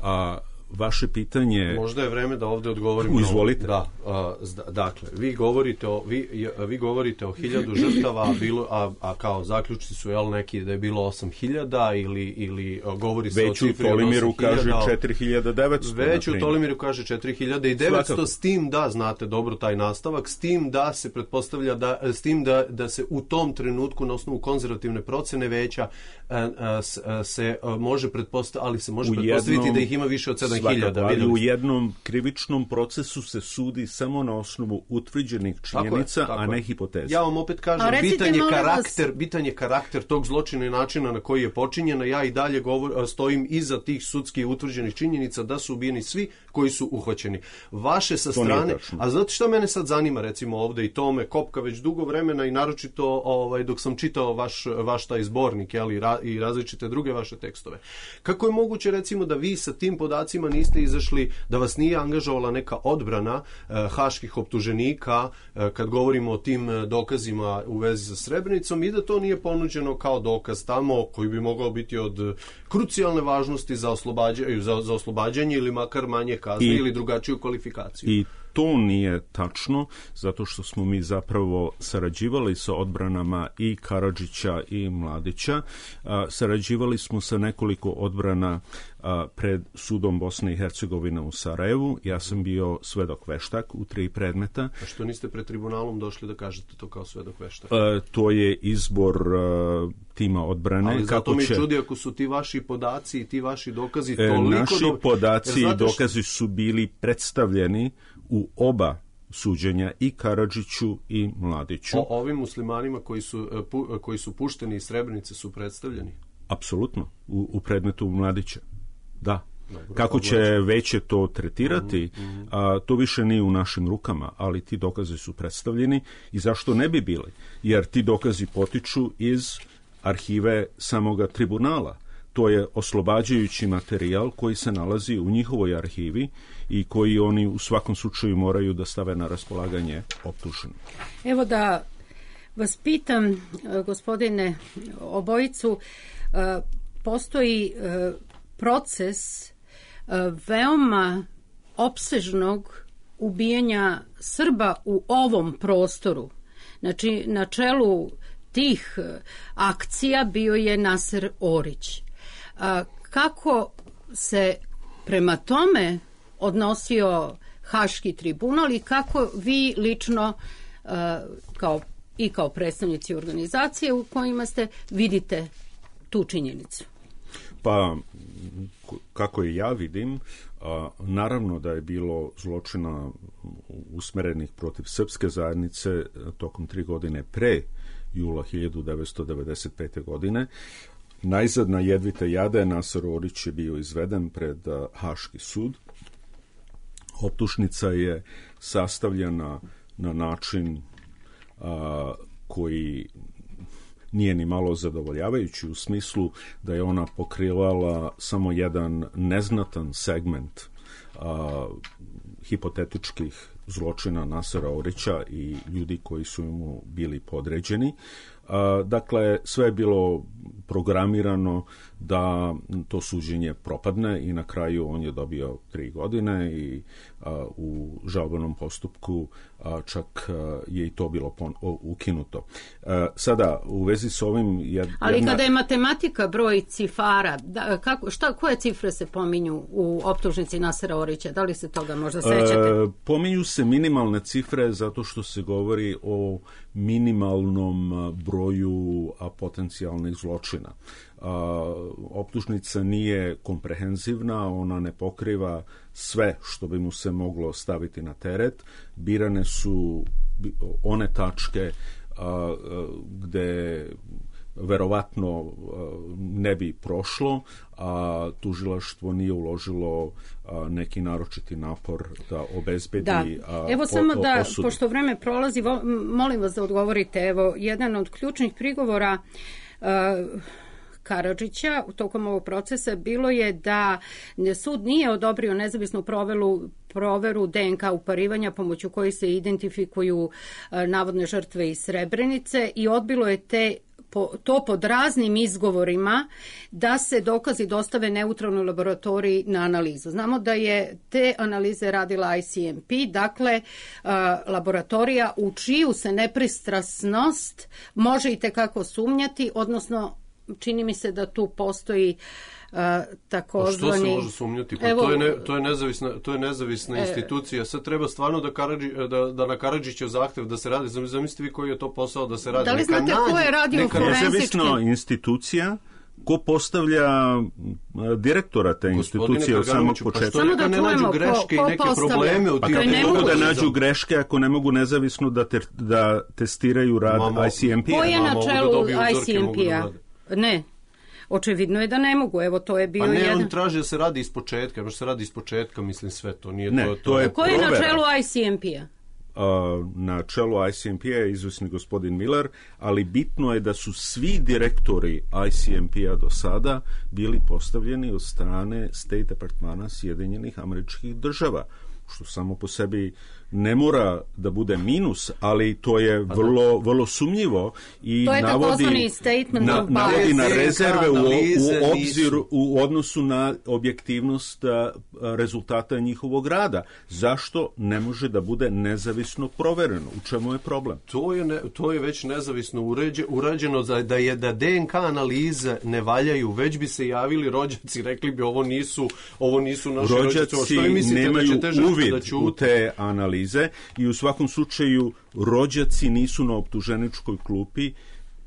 A vaše pitanje... Možda je vreme da ovdje odgovorimo. Izvolite. Da, a, dakle, vi govorite o, vi, vi govorite o hiljadu žrtava, a, bilo, a, a kao zaključci su jel, neki da je bilo osam hiljada ili, ili govori se već o cifri od osam hiljada. Već u Tolimiru kaže četiri hiljade devetsto. Već u Tolimiru kaže četiri hiljade devetsto, Svakako. S tim da, znate dobro taj nastavak, s tim da se pretpostavlja da, s tim da, da se u tom trenutku na osnovu konzervativne procene veća a, a, a, se a, može pretpostaviti, ali se može U pretpostaviti jednom, da ih ima više od sedam hiljada. Svakako, ali u jednom krivičnom procesu se sudi samo na osnovu utvrđenih činjenica, tako je, tako a ne je. hipoteza. Ja vam opet kažem, bitan je, karakter, bitan je karakter tog zločina i načina na koji je počinjena. Ja i dalje govor, stojim iza tih sudskih utvrđenih činjenica da su ubijeni svi koji su uhvaćeni. Vaše sa strane, a znate šta mene sad zanima recimo ovde i to me kopka već dugo vremena i naročito ovaj, dok sam čitao vaš, vaš taj zbornik jeli, ra, i različite druge vaše tekstove. Kako je moguće recimo da vi sa tim podacima niste izašli, da vas nije angažovala neka odbrana eh, haških optuženika eh, kad govorimo o tim dokazima u vezi sa Srebrenicom i da to nije ponuđeno kao dokaz tamo koji bi mogao biti od krucijalne važnosti za oslobađanje, za, za oslobađanje ili makar manje kazne I, ili drugačiju kvalifikaciju. I to nije tačno, zato što smo mi zapravo sarađivali sa odbranama i Karadžića i Mladića. A, sarađivali smo sa nekoliko odbrana a, pred sudom Bosne i Hercegovine u Sarajevu. Ja sam bio svedok veštak u tri predmeta. A što niste pred tribunalom došli da kažete to kao svedok veštak? A, to je izbor a, tima odbrane. Ali zato kako mi će... čudi ako su ti vaši podaci i ti vaši dokazi toliko... E, naši do... podaci i dokazi su bili predstavljeni u oba suđenja i Karadžiću i Mladiću. O ovim muslimanima koji su, pu, koji su pušteni iz Srebrenice su predstavljeni? Apsolutno, u, u predmetu Mladića. Da. Dobro, kako će veće to tretirati, mm-hmm. a, to više nije u našim rukama, ali ti dokazi su predstavljeni i zašto ne bi bili? Jer ti dokazi potiču iz arhive samoga tribunala. To je oslobađajući materijal koji se nalazi u njihovoj arhivi i koji oni u svakom slučaju moraju da stave na raspolaganje optuženim. Evo da vas pitam, gospodine obojicu, postoji proces veoma opsežnog ubijanja Srba u ovom prostoru. Znači, na čelu tih akcija bio je Naser Orić. A, kako se prema tome odnosio Haški tribunal i kako vi lično a, kao, i kao predstavnici organizacije u kojima ste vidite tu činjenicu? Pa, kako i ja vidim, a, naravno da je bilo zločina usmerenih protiv srpske zajednice tokom tri godine pre jula hiljadu devetsto devedeset pete. godine. Najzad na jedvite jade Naser Orić je bio izveden pred uh, Haški sud. Optužnica je sastavljena na način a, koji nije ni malo zadovoljavajući, u smislu da je ona pokrivala samo jedan neznatan segment a, hipotetičkih zločina Nasera Orića i ljudi koji su mu bili podređeni. A, dakle, sve je bilo programirano da to suđenje propadne i na kraju on je dobio tri godine i a, u žalbenom postupku a, čak a, je i to bilo pon, o, ukinuto. A, sada, u vezi s ovim... Jedna... Ali kada je matematika broj cifara, da, kako, šta, koje cifre se pominju u optužnici Nasera Orića? Da li se toga možda sećate? A, pominju se minimalne cifre zato što se govori o minimalnom broju a, potencijalnih zločina. A, optužnica nije komprehenzivna, ona ne pokriva sve što bi mu se moglo staviti na teret. Birane su one tačke a, a, gde verovatno ne bi prošlo, a tužilaštvo nije uložilo neki naročiti napor da obezbedi da. Evo po, samo da, osudi. Pošto vreme prolazi, molim vas da odgovorite. Evo, jedan od ključnih prigovora uh, Karadžića u tokom ovog procesa bilo je da sud nije odobrio nezavisnu proveru, proveru D N K uparivanja pomoću koji se identifikuju uh, navodne žrtve iz Srebrenice i odbilo je te Po, to pod raznim izgovorima da se dokazi dostave neutralnoj laboratoriji na analizu. Znamo da je te analize radila I C M P, dakle uh, laboratorija u čiju se nepristrasnost može i tekako sumnjati, odnosno čini mi se da tu postoji Uh, takozvani... A što se može sumnjati? Pa Evo, to, je ne, to je nezavisna, to je nezavisna e, institucija. Sad treba stvarno da, Karadži, da, da na Karadžićev zahtev da se radi. Zamislite vi koji je to posao da se radi. Da li znate neka ko je radio forenzički? Nezavisna institucija ko postavlja direktora te institucije od samog početka. Samo da ne nađu greške ko, ko i neke postavlja? Probleme u tim. Pa ne mogu da nađu greške ako ne mogu nezavisno da, te, da testiraju rad Mamo, I C M P-a. Ko je na čelu I C M P-a? Ne. Očevidno je da ne mogu, evo to je bio jedan... Pa ne, jedan... on traži da se radi iz početka, možda se radi iz početka, mislim sve to, nije ne, to... to je Ko je na čelu I C M P-a? Uh, na čelu I C M P-a je izvesni gospodin Miller, ali bitno je da su svi direktori I C M P-a do sada bili postavljeni od strane State Departmana Sjedinjenih Američkih Država, što samo po sebi ne mora da bude minus, ali to je vrlo, vrlo sumnjivo i to je navodi, na, navodi na rezerve u, u, obzir, u odnosu na objektivnost a, rezultata njihovog rada. Zašto ne može da bude nezavisno provereno? U čemu je problem? To je, ne, to je već nezavisno uređe, urađeno da, da je da D N K analize ne valjaju, već bi se javili rođaci, rekli bi ovo nisu, ovo nisu naši rođaci. Rođaci što mislite, nemaju da uvid da u te analize i u svakom slučaju rođaci nisu na optuženičkoj klupi,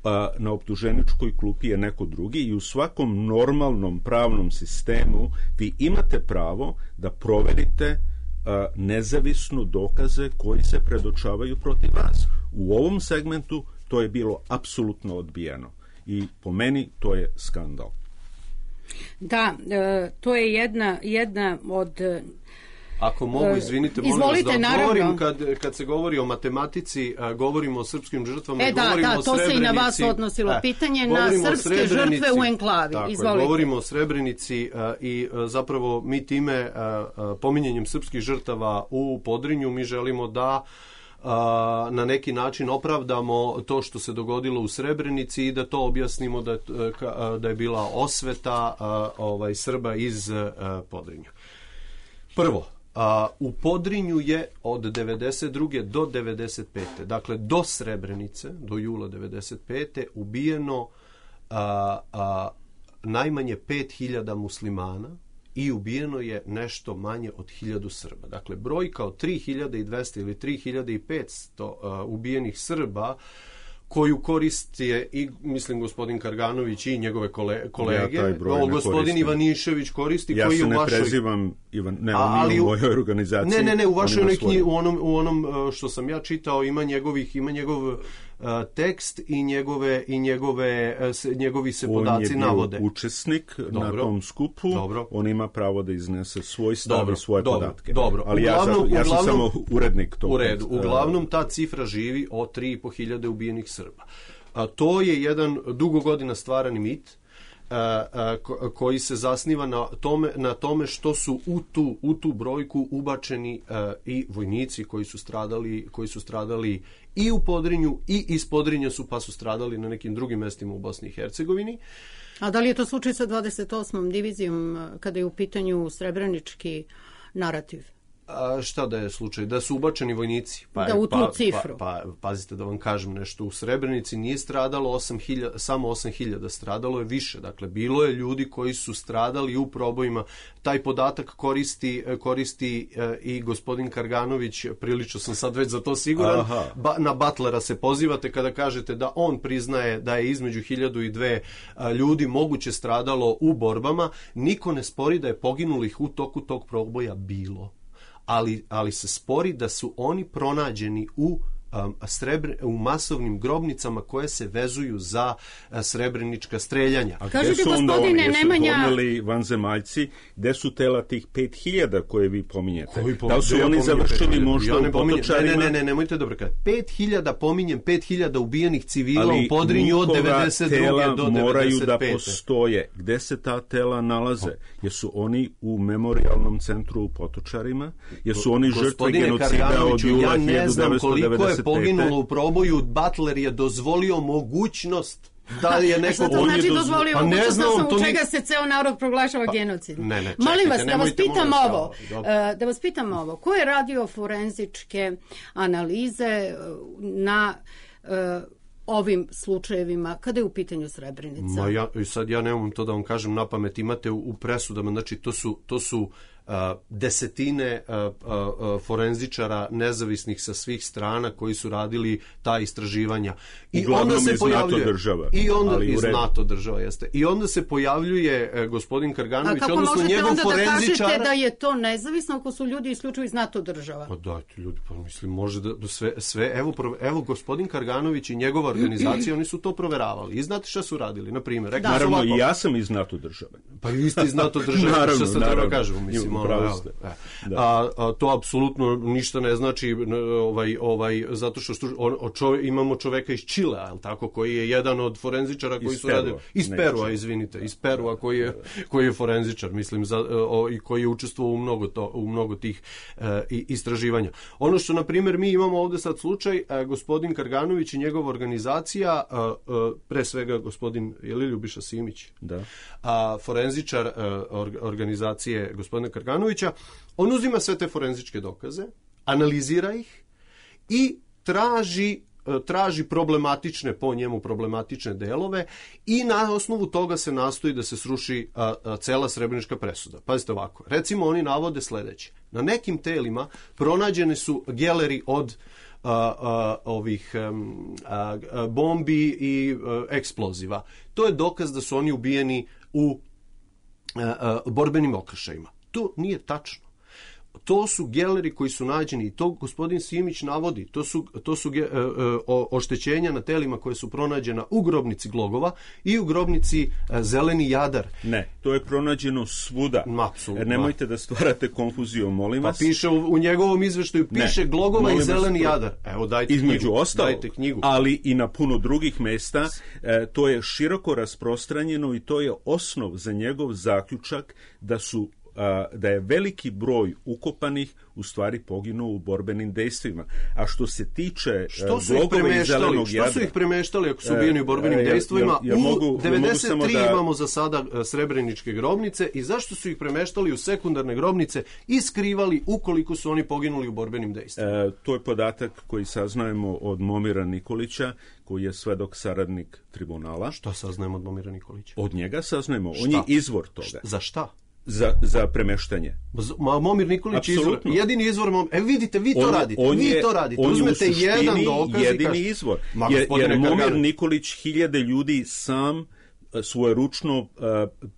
a na optuženičkoj klupi je neko drugi i u svakom normalnom pravnom sistemu vi imate pravo da proverite a, nezavisno dokaze koji se predočavaju protiv vas. U ovom segmentu to je bilo apsolutno odbijeno i po meni to je skandal. Da, e, to je jedna, jedna od... Ako mogu, izvinite, molim vas da odgovorim, kad, kad se govori o matematici, a, govorimo o srpskim žrtvama, e, da, govorimo da, o Srebrenici. To se i na vas odnosilo, pitanje na srpske žrtve u enklavi. Tako, izvolite. Govorimo o Srebrenici a, i a, zapravo mi time, a, a, pominjanjem srpskih žrtava u Podrinju, mi želimo da a, na neki način opravdamo to što se dogodilo u Srebrenici i da to objasnimo da, a, da je bila osveta a, ovaj, Srba iz a, Podrinja. Prvo, A, u Podrinju je od devedeset druge do devedeset pete dakle do Srebrenice, do jula devedeset pete ubijeno a, a, najmanje pet hiljada muslimana i ubijeno je nešto manje od hiljadu Srba. Dakle, brojka od tri hiljade dvesta ili tri hiljade petsto a, ubijenih Srba koju koristi i, mislim, gospodin Karganović i njegove kole, kolege. Ja o, gospodin koristim. Ivanišević koristi ja koji je u vašoj... Ja se ne prezivam Ivan, ne, on nije u mojoj organizaciji. Ne, ne, ne, u vašoj neki, u onom, u onom što sam ja čitao ima njegovih, ima njegov tekst i njegove i njegove njegovi se podaci navode. On je bio učesnik dobro. na tom skupu, dobro. on ima pravo da iznese svoj stav dobro. i svoje dobro. podatke. Dobro. Ali uglavnom, ja, ja sam uglavnom, samo urednik tog. U redu. Uglavnom ta cifra živi od tri i po hiljade ubijenih Srba. A to je jedan dugo godina stvarani mit koji se zasniva na tome, na tome što su u tu, u tu brojku ubačeni i vojnici koji su stradali, koji su stradali i u Podrinju i iz Podrinja su pa su stradali na nekim drugim mestima u Bosni i Hercegovini. A da li je to slučaj sa dvadeset osmom divizijom kada je u pitanju srebrenički narativ? A šta da je slučaj? Da su ubačeni vojnici. Pa, da u tu pa, cifru. Pa, pa, pazite da vam kažem nešto. U Srebrenici nije stradalo osam hiljada, samo osam hiljada, stradalo je više. Dakle, bilo je ljudi koji su stradali u probojima. Taj podatak koristi, koristi e, i gospodin Karganović, prilično sam sad već za to siguran. Ba, na Butlera se pozivate kada kažete da on priznaje da je između hiljadu i dve a, ljudi moguće stradalo u borbama. Niko ne spori da je poginulih u toku tog proboja bilo. Ali, ali se spori da su oni pronađeni u, um, srebr, u masovnim grobnicama koje se vezuju za uh, srebrenička streljanja. A gde su onda oni? Jesu Nemanja... poneli vanzemaljci? Gde su tela tih pet hiljada koje vi pominjete? Po, da li su oni završili možda ja u Potočarima? Ne, ne, ne, nemojte dobro kada. pet hiljada pominjem, pet hiljada ubijenih civila ali u Podrinju od devedeset druge do devedeset pete. moraju da postoje. Gde se ta tela nalaze? Jesu oni u memorialnom centru u Potočarima? Jesu oni žrtve genocida od jula hiljadu devetsto devedeset pete? Koliko je poginulo u proboju, Butler je dozvolio mogućnost da je neko... Šta to znači dozvolio pa mogućnost znam, u čega ni... se ceo narod proglašava pa, genocid? Ne, ne, čekajte, molim vas, da vas pitam ovo, uh, da vas pitam ovo, ko je radio forenzičke analize na uh, ovim slučajevima kada je u pitanju Srebrenica? Ma ja, sad ja nemam to da vam kažem na pamet, imate u, u presudama, znači to su, to su Uh, desetine uh, uh, forenzičara nezavisnih sa svih strana koji su radili ta istraživanja. I uglavnom onda se iz pojavljuje NATO država. I onda ali iz NATO država jeste. I onda se pojavljuje uh, gospodin Karganović, odnosno njegov forenzičar. A kako možete onda da kažete da je to nezavisno ako su ljudi isključivo iz NATO država? Pa dajte ljudi, pa mislim može da, da sve, sve evo, evo gospodin Karganović i njegova organizacija, oni su to proveravali. I znate šta su radili? Na primjer, rekli naravno ovako, i ja sam iz NATO države. Pa i vi ste iz NATO države, naravno, što sad treba kažemo, mislim. A, a to apsolutno ništa ne znači ovaj, ovaj, zato što on, o čove, imamo čoveka iz Čilea, je tako, koji je jedan od forenzičara koji iz su radili iz Perua, izvinite, iz Perua koji je, koji je forenzičar, mislim, za, o, i koji je učestvovao u mnogo, to, u mnogo tih e, istraživanja. Ono što, na primjer, mi imamo ovde sad slučaj, e, gospodin Karganović i njegova organizacija, e, e, pre svega gospodin, je li Ljubiša Simić? Da. A, forenzičar e, or, organizacije gospodina Karganovića, on uzima sve te forenzičke dokaze, analizira ih i traži, traži problematične, po njemu problematične delove i na osnovu toga se nastoji da se sruši a, a, cela srebrenička presuda. Pazite ovako, recimo oni navode sledeće. Na nekim telima pronađene su geleri od a, a, ovih a, a, bombi i a, eksploziva. To je dokaz da su oni ubijeni u a, a, borbenim okršajima. To nije tačno. To su geleri koji su nađeni i to gospodin Simić navodi. To su, to su ge, o, oštećenja na telima koje su pronađena u grobnici Glogova i u grobnici Zeleni Jadar. Ne, to je pronađeno svuda. Apsolutno. Nemojte da stvarate konfuziju, molim vas. Pa piše u, u njegovom izveštaju, piše ne, Glogova i Zeleni vas, Jadar. Evo, dajte između knjigu. Ostalo, dajte knjigu. Ali i na puno drugih mesta, e, to je široko rasprostranjeno i to je osnov za njegov zaključak da su da je veliki broj ukopanih u stvari poginuo u borbenim dejstvima. A što se tiče Glogova i Zelenog Jadra... Što su ih premeštali ako su ubijeni u borbenim e, dejstvima? Ja, ja, ja mogu, u devedeset tri da... imamo za sada srebreničke grobnice i zašto su ih premeštali u sekundarne grobnice i skrivali ukoliko su oni poginuli u borbenim dejstvima? E, to je podatak koji saznajemo od Momira Nikolića, koji je svedok saradnik tribunala. Šta saznajemo od Momira Nikolića? Od njega saznajemo. On je izvor toga. Šta? Za šta? Za, za premeštanje. Ma, Momir Nikolić izvor, jedini izvor, mom, e vidite, vi to on, radite, on vi je, to radite, on uzmete jedan dokaz jedini kaž... izvor, Ma, jer, jer Momir Karganović. Nikolić hiljade ljudi sam svojeručno uh,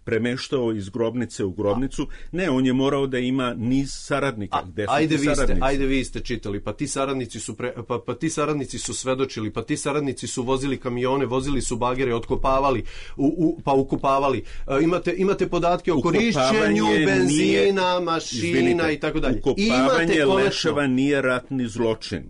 premeštao iz grobnice u grobnicu. Ne, on je morao da ima niz saradnika. Gde su ajde, ti vi saradnici? ste, ajde vi ste čitali, pa ti saradnici su pre, pa, pa ti saradnici su svedočili, pa ti saradnici su vozili kamione, vozili su bagere, otkopavali, u, u, pa ukopavali. Uh, imate, imate podatke o korišćenju benzina, nije, mašina izvinite, i tako dalje. Ukopavanje leševa nije ratni zločin.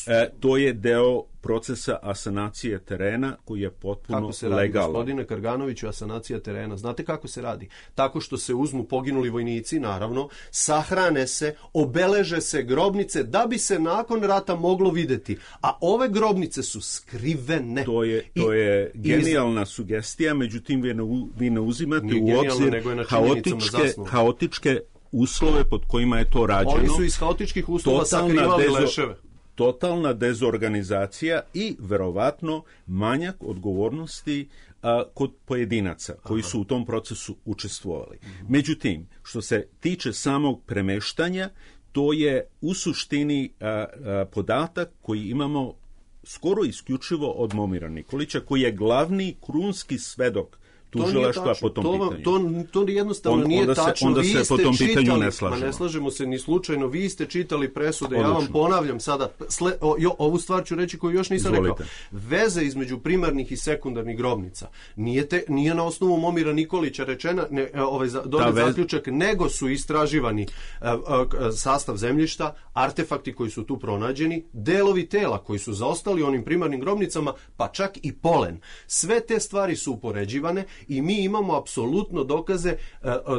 E, to je deo procesa asanacije terena koji je potpuno legalan. Kako se radi, legalan. Gospodine Karganoviću, asanacija terena? Znate kako se radi? Tako što se uzmu poginuli vojnici, naravno, sahrane se, obeleže se grobnice da bi se nakon rata moglo videti. A ove grobnice su skrivene. To je, to je I, genijalna iz... sugestija, međutim vi ne, vi ne uzimate u obzir haotičke, haotičke uslove pod kojima je to rađeno. Oni su iz haotičkih uslova sakrivali dezo... leševe. Totalna dezorganizacija i verovatno manjak odgovornosti a, kod pojedinaca koji su u tom procesu učestvovali. Međutim, što se tiče samog premeštanja, to je u suštini a, a, podatak koji imamo skoro isključivo od Momira Nikolića, koji je glavni krunski svedok tužilaštva po tom to, pitanju. To, to jednostavno On, nije onda tačno. Se, onda vi se ste po tom čitali, pitanju ne slažemo. Ma ne slažemo se ni slučajno. Vi ste čitali presude. Odlično. Ja vam ponavljam sada. Sle, o, jo, ovu stvar ću reći koju još nisam Izvolite. rekao. Veze između primarnih i sekundarnih grobnica nije, te, nije na osnovu Momira Nikolića rečena ne, ovaj, donet vez... zaključak, nego su istraživani a, a, a, sastav zemljišta, artefakti koji su tu pronađeni, delovi tela koji su zaostali onim primarnim grobnicama, pa čak i polen. Sve te stvari su upoređivane i mi imamo apsolutno dokaze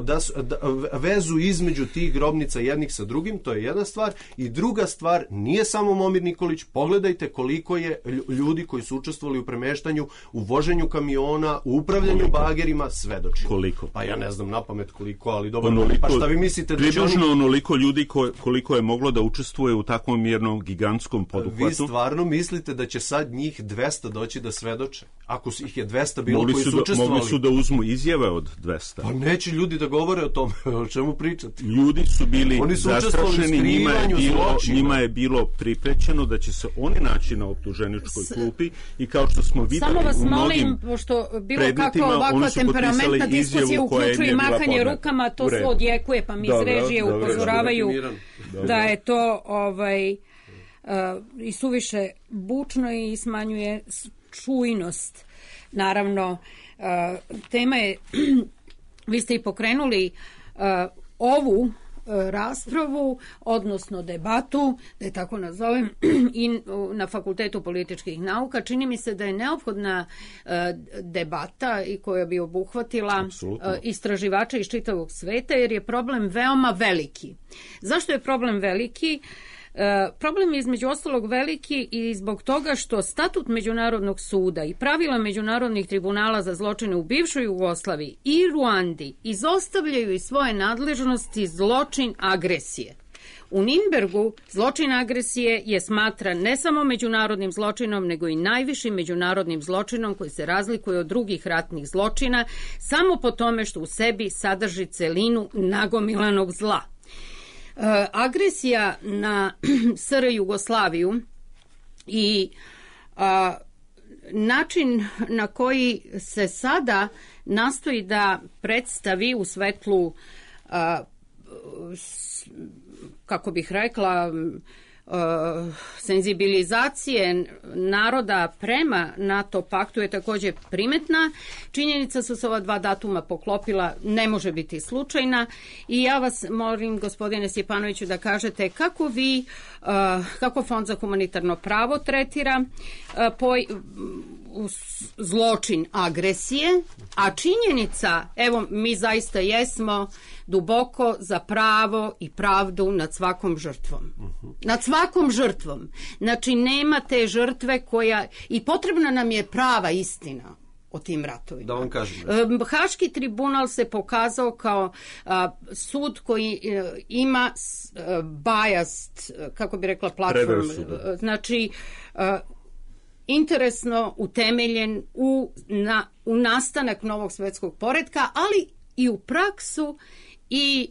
da, da vezu između tih grobnica jednih sa drugim, to je jedna stvar. I druga stvar, nije samo Momir Nikolić, pogledajte koliko je ljudi koji su učestvovali u premeštanju, u voženju kamiona, u upravljanju koliko? bagerima, svedoči. Koliko? Pa ja ne znam na pamet koliko, ali dobro. Onoliko, pa šta vi mislite da će oni... onoliko ljudi ko, koliko je moglo da učestvuje u takvom jednom gigantskom poduhvatu. Vi stvarno mislite da će sad njih dvesta doći da svedoče? Ako ih je dvesta bilo mogli koji su, su učestvovali... Mogli su da uzmu izjave od dvesta. Pa neće ljudi da govore o tome, o čemu pričati. Ljudi su bili oni su zastrašeni, njima je, bilo, zločina. njima je bilo priprećeno da će se oni naći na optuženičkoj klupi i kao što smo videli samo vas u molim, pošto bilo kako ovakva temperamentna diskusija uključuje mahanje rukama, to se odjekuje, pa mi iz režije upozoravaju da je to ovaj, uh, i suviše bučno i smanjuje čujnost. Naravno, uh, tema je, vi ste i pokrenuli uh, ovu uh, raspravu, odnosno debatu, da je tako nazovem, i uh, na Fakultetu političkih nauka. Čini mi se da je neophodna uh, debata i koja bi obuhvatila uh, istraživača iz čitavog sveta, jer je problem veoma veliki. Zašto je problem veliki? E, problem je između ostalog veliki i zbog toga što statut Međunarodnog suda i pravila međunarodnih tribunala za zločine u bivšoj Jugoslaviji i Ruandi izostavljaju iz svoje nadležnosti zločin agresije. U Nirnbergu zločin agresije je smatran ne samo međunarodnim zločinom, nego i najvišim međunarodnim zločinom koji se razlikuje od drugih ratnih zločina samo po tome što u sebi sadrži celinu nagomilanog zla. Uh, agresija na S R Jugoslaviju i uh, način na koji se sada nastoji da predstavi u svetlu uh, s, kako bih rekla Uh, senzibilizacije naroda prema NATO paktu je također primetna. Činjenica su se ova dva datuma poklopila, ne može biti slučajna i ja vas molim, gospodine Stjepanoviću, da kažete kako vi, uh, kako Fond za humanitarno pravo tretira uh, poj, uh, zločin agresije, a činjenica, evo mi zaista jesmo duboko za pravo i pravdu nad svakom žrtvom. Uh-huh. Nad svakom žrtvom. Znači, nema te žrtve koja... I potrebna nam je prava istina o tim ratovima. Da vam kažem. Haški tribunal se pokazao kao a, sud koji a, ima a, biased, kako bi rekla, platform. Znači, a, interesno utemeljen u, na, u nastanak novog svetskog poretka, ali i u praksu i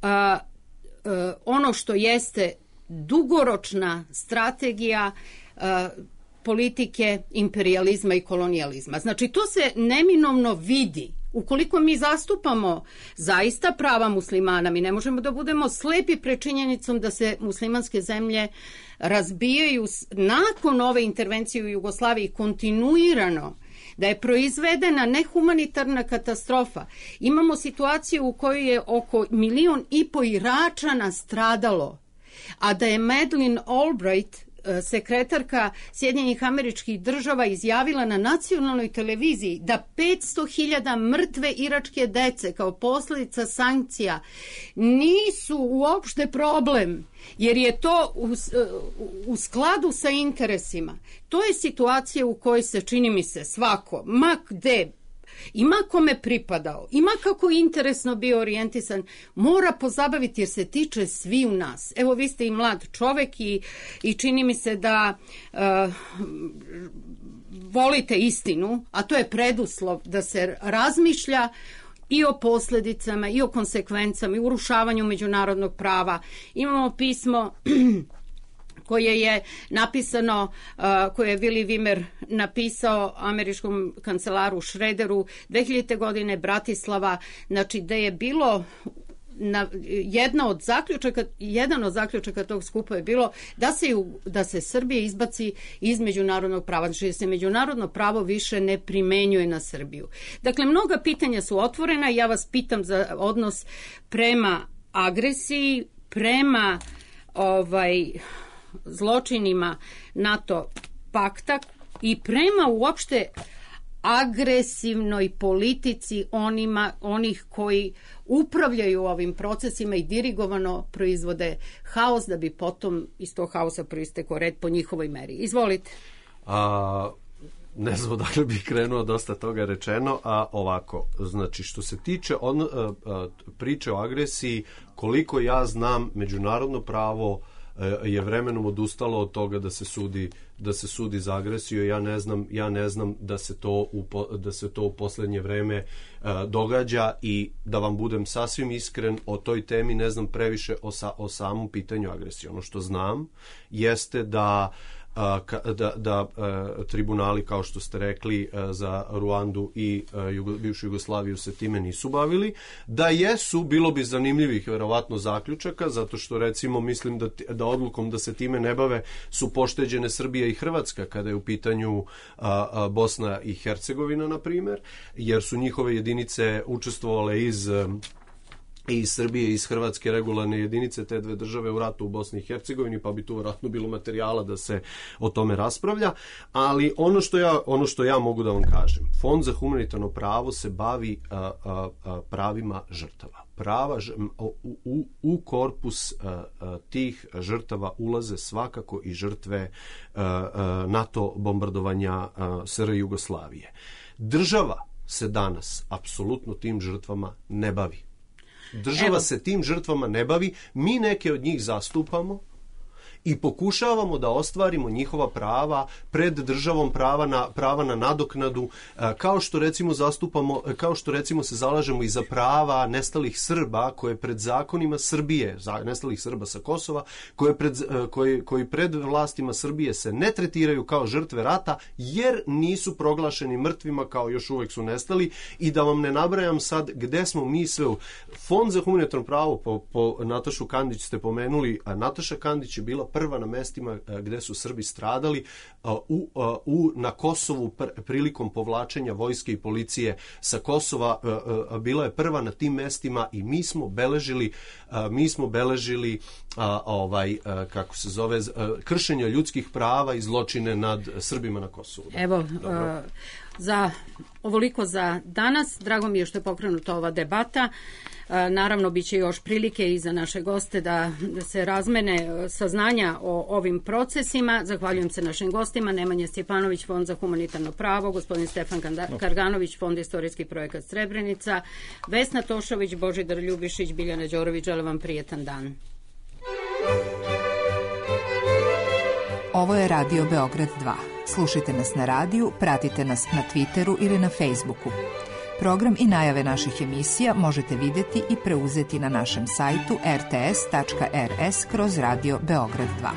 a, a, ono što jeste dugoročna strategija a, politike imperializma i kolonijalizma. Znači, to se neminovno vidi. Ukoliko mi zastupamo zaista prava muslimana, mi ne možemo da budemo slepi pred činjenicom da se muslimanske zemlje razbijaju nakon ove intervencije u Jugoslaviji kontinuirano, da je proizvedena nehumanitarna katastrofa. Imamo situaciju u kojoj je oko milion i po Iračana stradalo, a da je Madeleine Albright, sekretarka Sjedinjenih Američkih Država, izjavila na nacionalnoj televiziji da petsto hiljada mrtve iračke dece kao posljedica sankcija nisu uopšte problem, jer je to u, u skladu sa interesima. To je situacija u kojoj se, čini mi se, svako, ma gde, ima kome pripadao, ima kako interesno bio orijentisan, mora pozabaviti jer se tiče svi u nas. Evo, vi ste i mlad čovek i, i čini mi se da uh, volite istinu, a to je preduslov da se razmišlja i o posledicama, i o konsekvencama, i urušavanju međunarodnog prava. Imamo pismo koje je napisano, koje je Willy Wimmer napisao američkom kancelaru Šrederu dve hiljadite godine, Bratislava, znači da je bilo na, jedna od zaključaka, jedan od zaključaka tog skupa je bilo da se, da se Srbija izbaci iz međunarodnog prava, znači da se međunarodno pravo više ne primenjuje na Srbiju. Dakle, mnoga pitanja su otvorena i ja vas pitam za odnos prema agresiji, prema ovaj zločinima NATO pakta i prema uopšte agresivnoj politici onima, onih koji upravljaju ovim procesima i dirigovano proizvode haos da bi potom iz tog haosa proistekao red po njihovoj meri. Izvolite. A, ne znam dakle bih krenuo, dosta toga rečeno, a ovako, znači što se tiče on, a, a, priče o agresiji, koliko ja znam, međunarodno pravo je vremenom odustalo od toga da se sudi da se sudi za agresiju. Ja ne znam ja ne znam da se to u da se to u poslednje vreme uh, događa i da vam budem sasvim iskren, o toj temi ne znam previše o, sa, o samom pitanju agresije. Ono što znam jeste da da, da tribunali, kao što ste rekli, za Ruandu i Jugo, bivšu Jugoslaviju se time nisu bavili. Da jesu, bilo bi zanimljivih verovatno zaključaka, zato što recimo mislim da, da odlukom da se time ne bave su pošteđene Srbija i Hrvatska kada je u pitanju a, a, Bosna i Hercegovina, na primer, jer su njihove jedinice učestvovale iz i iz Srbije i iz Hrvatske regularne jedinice te dve države u ratu u Bosni i Hercegovini, pa bi tu vjerojatno bilo materijala da se o tome raspravlja. Ali ono što ja, ono što ja mogu da vam kažem, Fond za humanitarno pravo se bavi a, a, a, pravima žrtava. Prava, u, u, u korpus a, a, tih žrtava ulaze svakako i žrtve a, a, NATO bombardovanja a, S R Jugoslavije. Država se danas apsolutno tim žrtvama ne bavi. Država Evo. se tim žrtvama ne bavi, mi neke od njih zastupamo i pokušavamo da ostvarimo njihova prava pred državom, prava na, prava na nadoknadu, kao što recimo zastupamo, kao što recimo se zalažemo i za prava nestalih Srba koje pred zakonima Srbije, nestalih Srba sa Kosova, koje pred, koji, koji pred vlastima Srbije se ne tretiraju kao žrtve rata jer nisu proglašeni mrtvima, kao još uvek su nestali. I da vam ne nabrajam sad gde smo mi sve u... Fond za humanitarno pravo, po, po Natašu Kandić ste pomenuli, a Nataša Kandić je bila prva na mestima gde su Srbi stradali u, u, na Kosovu prilikom povlačenja vojske i policije sa Kosova. Bila je prva na tim mestima i mi smo beležili mi smo beležili ovaj, kako se zove, kršenja ljudskih prava i zločine nad Srbima na Kosovu. Evo, Dobro. za ovoliko za danas. Drago mi je što je pokrenuta ova debata. Naravno, bit će još prilike i za naše goste da se razmene saznanja o ovim procesima. Zahvaljujem se našim gostima. Nemanja Stjepanović, Fond za humanitarno pravo, gospodin Stefan Karganović, Fond istorijski projekat Srebrenica, Vesna Tošović, Božidar Ljubišić, Biljana Đorović. Želim vam prijetan dan. Ovo je Radio Beograd dva. Slušajte nas na radiju, pratite nas na Twitteru ili na Facebooku. Program i najave naših emisija možete vidjeti i preuzeti na našem sajtu r t s tačka r s kroz Radio Beograd dva.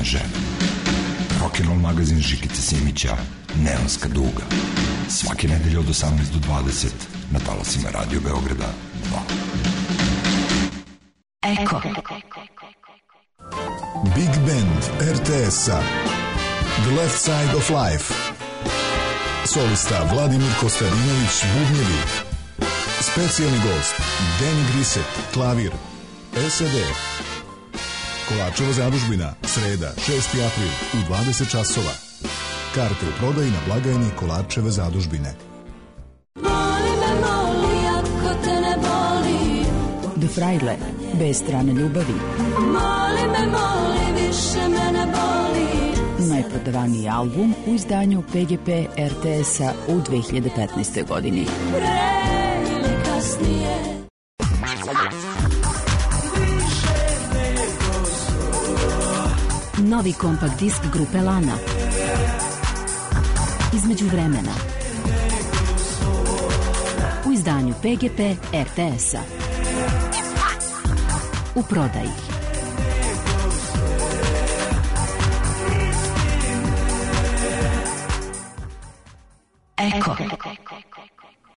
kaže. Rock'n'roll magazin Žikice Simića, Neonska duga. Svake nedelje od osamnaest do dvadeset na talasima Radio Beograda dva. Eko. Big Band R T S-a The Left Side of Life. Solista Vladimir Kostarinović, bubnjevi. Specijalni gost Danny Griset, klavir. S E D. Kolarčeva zadužbina, sreda, šesti april u dvadeset časova. Karte u prodaji na blagajni Kolarčeve zadužbine. Moli me, moli, ako te ne boli. The Fraile, bez strane ljubavi. Moli me, moli, više me ne boli. Najprodavaniji album u izdanju P G P R T S-a u dve hiljade petnaestoj. godini. Pre ili kasnije. Novi kompakt disk grupe Lana. Između vremena. U izdanju P G P R T S-a. U prodaji.